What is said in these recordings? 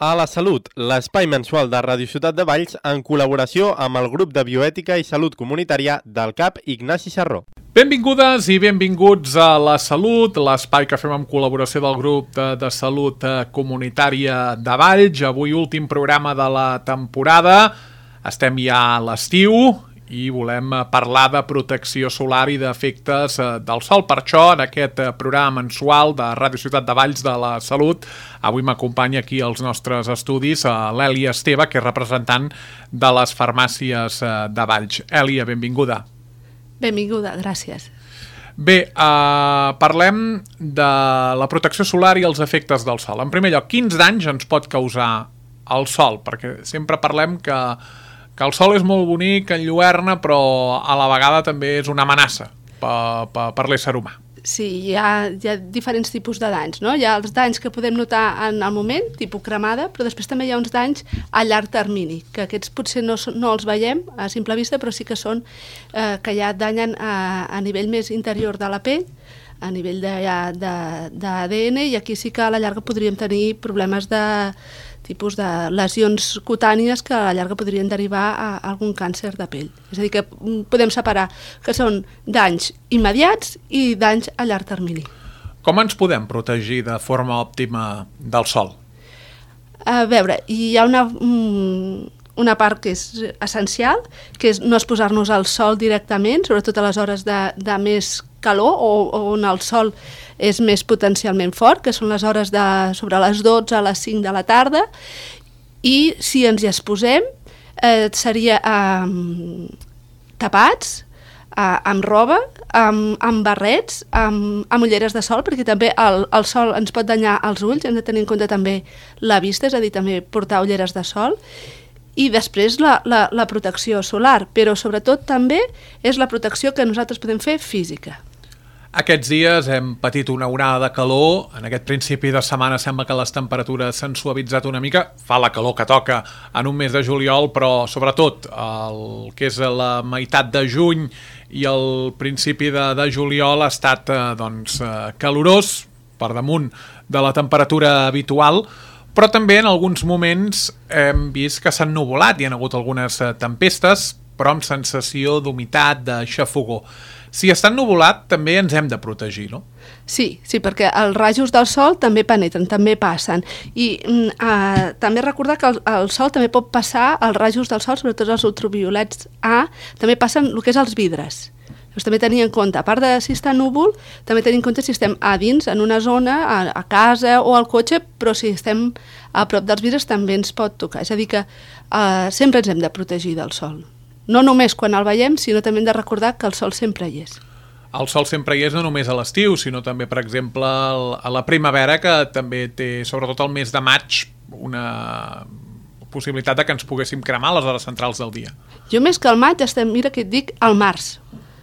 A la Salut, l'espai mensual de Ràdio Ciutat de Valls en col·laboració amb el grup de Bioètica i Salut Comunitària del CAP Ignasi Sarró. Benvingudes i benvinguts a La Salut, l'espai que fem amb col·laboració del grup de Salut Comunitària de Valls. Avui últim programa de la temporada, estem ja a l'estiu i volem parlar de protecció solar i d'efectes del sol. Per això, en aquest programa mensual de Ràdio Ciutat de Valls de la Salut, avui m'acompanya aquí als nostres estudis l'Èlia Esteve, que és representant de les farmàcies de Valls. Èlia, benvinguda. Benvinguda, gràcies. Bé, parlem de la protecció solar i els efectes del sol. En primer lloc, quins danys ens pot causar el sol? Perquè sempre parlem que el sol és molt bonic, enlluerna, però a la vegada també és una amenaça per l'ésser humà. Sí, hi ha diferents tipus de danys, no? Hi ha els danys que podem notar en el moment, tipus cremada, però després també hi ha uns danys a llarg termini, que aquests potser no els veiem a simple vista, però sí que són que ja danyen a nivell més interior de la pell, a nivell d'ADN, i aquí sí que a la llarga podríem tenir problemes de tipus de lesions cutànies que a la llarga podrien derivar a algun càncer de pell. És a dir, que podem separar que són danys immediats i danys a llarg termini. Com ens podem protegir de forma òptima del sol? A veure, hi ha una part que és essencial, que és no exposar-nos al sol directament, sobretot a les hores de més calor o on el sol és més potencialment fort, que són les hores sobre les 12 a les 5 de la tarda, i si ens hi exposem seria tapats, amb roba, amb barrets, amb ulleres de sol, perquè també el sol ens pot danyar els ulls, hem de tenir en compte també la vista, és a dir, també portar ulleres de sol, i després la protecció solar, però sobretot també és la protecció que nosaltres podem fer física. Aquests dies hem patit una onada de calor, en aquest principi de setmana sembla que les temperatures s'han suavitzat una mica, fa la calor que toca en un mes de juliol, però sobretot el que és la meitat de juny i el principi de juliol ha estat calorós, per damunt de la temperatura habitual, però també en alguns moments hem vist que s'han nuvolat, hi ha hagut algunes tempestes, però amb sensació d'humitat, de xafogor. Si està ennuvolat, també ens hem de protegir, no? Sí, perquè els rajos del sol també penetren, també passen. I també recordar que el sol també pot passar, els rajos del sol, sobretot els ultraviolets A, també passen el que és els vidres. Llavors també tenir en compte, a part de si està núvol, també tenir en compte si estem a dins, en una zona, a casa o al cotxe, però si estem a prop dels vidres també ens pot tocar. És a dir que sempre ens hem de protegir del sol. No només quan el veiem, sinó també hem de recordar que el sol sempre hi és. El sol sempre hi és no només a l'estiu, sinó també, per exemple, a la primavera, que també té, sobretot el mes de maig, una possibilitat de que ens poguéssim cremar a les hores centrals del dia. Jo més que al maig, mira que et dic al març,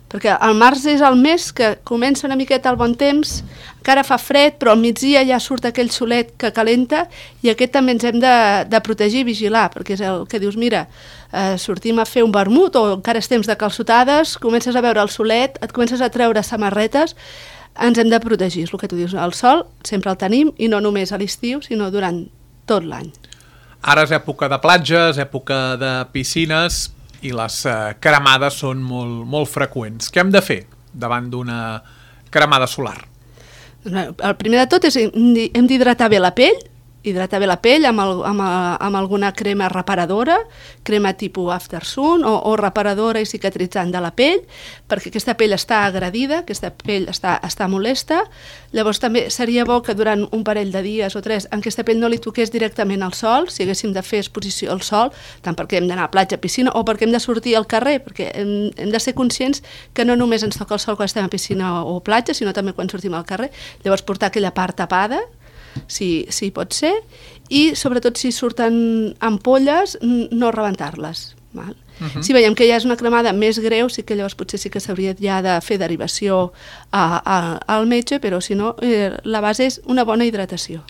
perquè el març és el mes que comença una miqueta el bon temps, encara fa fred, però al migdia ja surt aquell solet que calenta, i aquest també ens hem de protegir i vigilar, perquè és el que dius, mira, sortim a fer un vermut o encara és temps de calçotades, comences a veure el solet, et comences a treure samarretes, ens hem de protegir, és el que tu dius, el sol sempre el tenim, i no només a l'estiu, sinó durant tot l'any. Ara és època de platges, època de piscines, i les cremades són molt freqüents. Què hem de fer davant d'una cremada solar? El primer de tot és hem d'hidratar bé la pell, amb alguna crema reparadora, crema tipus Aftersun o reparadora i cicatritzant de la pell, perquè aquesta pell està agredida, aquesta pell està molesta. Llavors també seria bo que durant un parell de dies o 3 en aquesta pell no li toqués directament al sol, si haguéssim de fer exposició al sol, tant perquè hem d'anar a platja, piscina o perquè hem de sortir al carrer, perquè hem de ser conscients que no només ens toca el sol quan estem a piscina o platja, sinó també quan sortim al carrer. Llavors portar aquella part tapada, si pot ser, i sobretot si surten ampolles, no rebentar-les. Si veiem que ja és una cremada més greu, sí que llavors potser sí que s'hauria ja de fer derivació al metge, però si no, la base és una bona hidratació.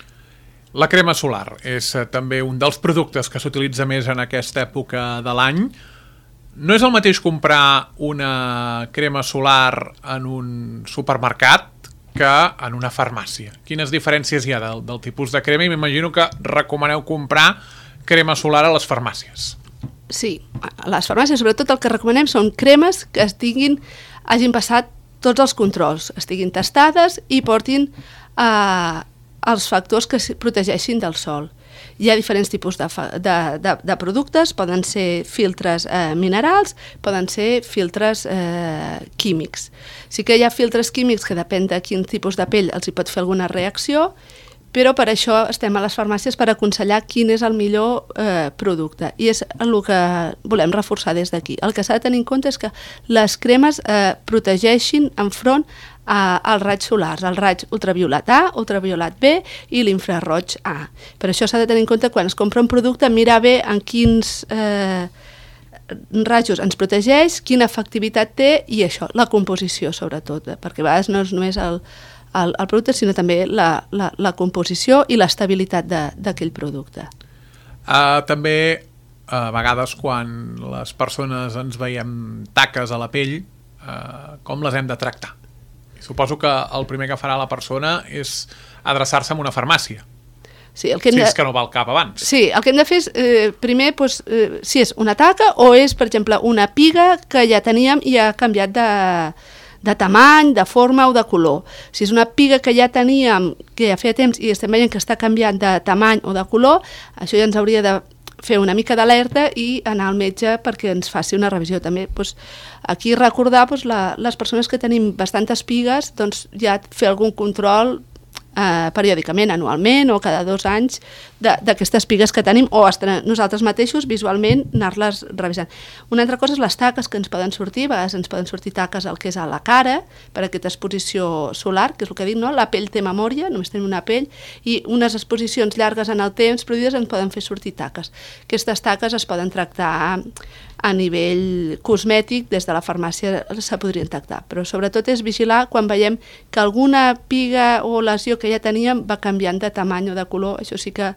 La crema solar és també un dels productes que s'utilitza més en aquesta època de l'any. No és el mateix comprar una crema solar en un supermercat que en una farmàcia. Quines diferències hi ha del tipus de crema? I m'imagino que recomaneu comprar crema solar a les farmàcies. Sí, a les farmàcies sobretot el que recomanem són cremes que hagin passat tots els controls, estiguin testades i portin els factors que protegeixin del sol. Hi ha diferents tipus de productes, poden ser filtres minerals, poden ser filtres químics. Sí que hi ha filtres químics que depèn de quin tipus de pell els hi pot fer alguna reacció, però per això estem a les farmàcies per aconsellar quin és el millor producte. I és el que volem reforçar des d'aquí. El que s'ha de tenir en compte és que les cremes protegeixin enfront als raigs solars, el raig ultraviolat A, ultraviolat B i l'infraroig A. Per això s'ha de tenir en compte quan es compra un producte, mirar bé en quins rajos ens protegeix, quina efectivitat té i això, la composició sobretot, perquè a vegades no és només el producte, sinó també la composició i l'estabilitat d'aquell producte. També, a vegades, quan les persones ens veiem taques a la pell, com les hem de tractar? Suposo que el primer que farà la persona és adreçar-se a una farmàcia. Sí, si és que no va al cap abans. Sí, el que hem de fer és, primer, si és una taca o és, per exemple, una piga que ja teníem i ha canviat de tamany, de forma o de color. Si és una piga que ja teníem, que ja feia temps i estem veient que està canviant de tamany o de color, això ja ens hauria de fer una mica d'alerta i anar al metge perquè ens faci una revisió. També aquí recordar les persones que tenim bastantes pigues, ja fer algun control periòdicament, anualment o cada 2 anys d'aquestes pigues que tenim o nosaltres mateixos visualment anar-les revisant. Una altra cosa és les taques que ens poden sortir, a vegades ens poden sortir taques al que és a la cara per aquesta exposició solar, que és el que dic, no? La pell té memòria, només tenim una pell i unes exposicions llargues en el temps produïdes ens poden fer sortir taques. Aquestes taques es poden tractar a nivell cosmètic, des de la farmàcia se podrien tractar, però sobretot és vigilar quan veiem que alguna piga o lesió que ja teníem va canviant de tamany o de color, això sí que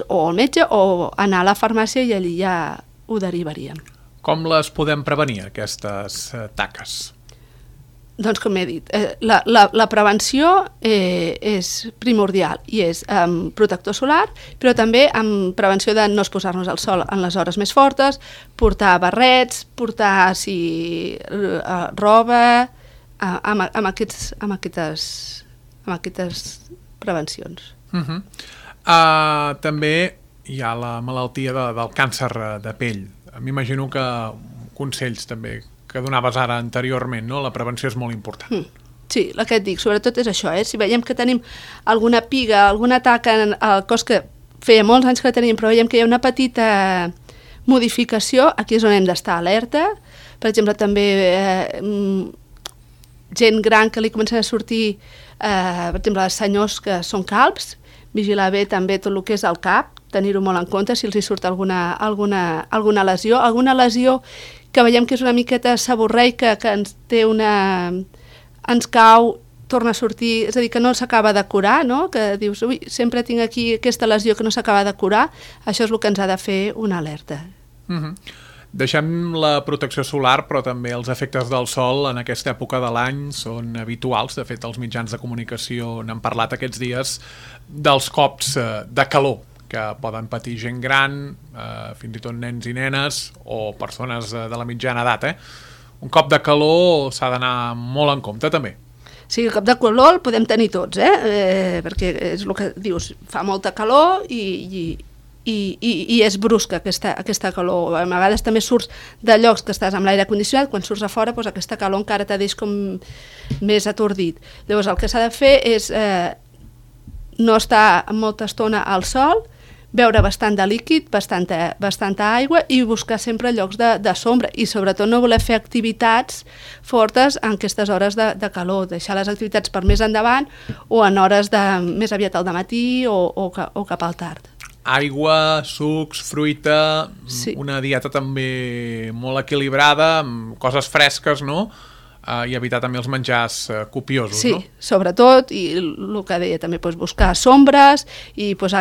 o al metge o anar a la farmàcia i allí ja ho derivaríem. Com les podem prevenir, aquestes taques? Doncs com he dit, la prevenció és primordial i és amb protector solar, però també amb prevenció de no exposar-nos al sol en les hores més fortes, portar barrets, portar roba, amb aquestes prevencions. També hi ha la malaltia del càncer de pell. M'imagino que consells també que donaves ara anteriorment, no? La prevenció és molt important. Sí, el que et dic, sobretot és això, si veiem que tenim alguna piga, alguna taca al cos que feia molts anys que tenim, però veiem que hi ha una petita modificació, aquí és on hem d'estar alerta. Per exemple, també gent gran que li comencen a sortir, per exemple, els senyors que són calbs, vigilar bé també tot el que és el cap, tenir-ho molt en compte si els hi surt alguna lesió que veiem que és una miqueta seborreica, que ens cau, torna a sortir, és a dir, que no s'acaba de curar, no? Que dius, ui, sempre tinc aquí aquesta lesió que no s'acaba de curar, això és el que ens ha de fer una alerta. Deixem la protecció solar, però també els efectes del sol en aquesta època de l'any són habituals. De fet, els mitjans de comunicació n'han parlat aquests dies dels cops de calor que poden patir gent gran, fins i tot nens i nenes o persones de la mitjana edat. Un cop de calor s'ha d'anar molt en compte també. Sí, el cop de calor el podem tenir tots, perquè és el que dius, fa molta calor i és brusca aquesta calor. A vegades també surts de llocs que estàs amb l'aire condicionat, quan surts a fora aquesta calor encara te deix com més atordit. Llavors el que s'ha de fer és no estar molta estona al sol, beure bastant de líquid, bastanta aigua i buscar sempre llocs de sombra i sobretot no voler fer activitats fortes en aquestes hores de calor, deixar les activitats per més endavant o en hores més aviat al dematí o cap al tard. Aigua, sucs, fruita, una dieta també molt equilibrada, amb coses fresques, no? i evitar també els menjars copiosos, sí, no? sobretot, i el que deia també, doncs, buscar sombres i doncs,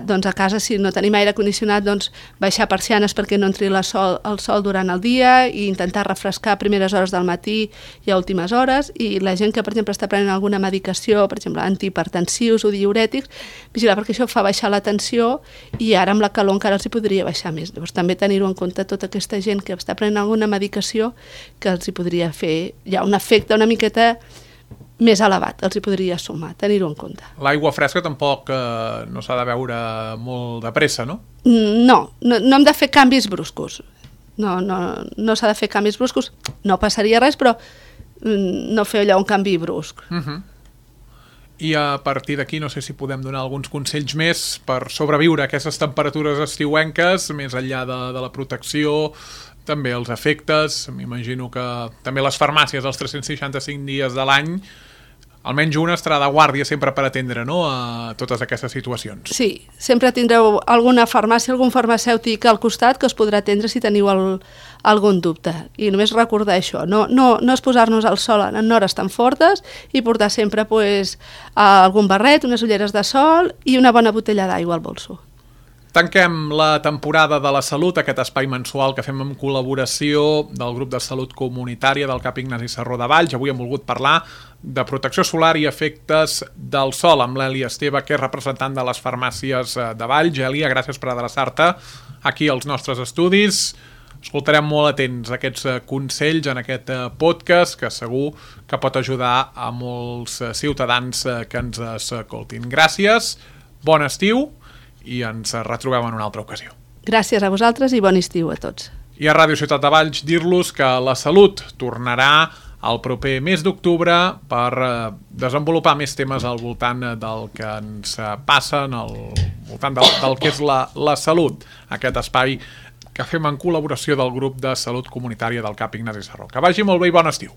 doncs a casa, si no tenim aire condicionat, doncs, baixar persianes perquè no entri el sol durant el dia i intentar refrescar a primeres hores del matí i a últimes hores, i la gent que, per exemple, està prenent alguna medicació, per exemple, antihipertensius o diürètics, vigilar perquè això fa baixar la tensió i ara amb la calor encara els hi podria baixar més. Llavors també tenir-ho en compte tota aquesta gent que està prenent alguna medicació que els hi podria fer ja un efecte una miqueta més elevat, els hi podria sumar, tenir-ho en compte. L'aigua fresca tampoc no s'ha de beure molt de pressa, no? No hem de fer canvis bruscos. No s'ha de fer canvis bruscos, no passaria res, però no fer allò un canvi brusc. I a partir d'aquí no sé si podem donar alguns consells més per sobreviure a aquestes temperatures estiuenques, més enllà de la protecció, també els efectes. M'imagino que també les farmàcies els 365 dies de l'any, almenys una estarà de guàrdia sempre per atendre, no?, a totes aquestes situacions. Sí, sempre tindreu alguna farmàcia, algun farmacèutic al costat que us podrà atendre si teniu algun dubte. I només recordar això, no és posar-nos al sol en hores tan fortes i portar sempre algun barret, unes ulleres de sol i una bona botella d'aigua al bolso. Tanquem la temporada de la salut, aquest espai mensual que fem en col·laboració del grup de salut comunitària del CAP Ignasi Serró de Valls. Avui hem volgut parlar de protecció solar i efectes del sol amb l'Èlia Esteve, que és representant de les farmàcies de Valls. Èlia, gràcies per adreçar-te aquí als nostres estudis. Escoltarem molt atents aquests consells en aquest podcast que segur que pot ajudar a molts ciutadans que ens escoltin. Gràcies, bon estiu i ens retrobem en una altra ocasió. Gràcies a vosaltres i bon estiu a tots. I a Ràdio Ciutat de Valls dir-los que la salut tornarà el proper mes d'octubre per desenvolupar més temes al voltant del que ens passa, al voltant del que és la salut, aquest espai que fem en col·laboració del grup de salut comunitària del CAP Ignasi Serró. Que vagi molt bé i bon estiu.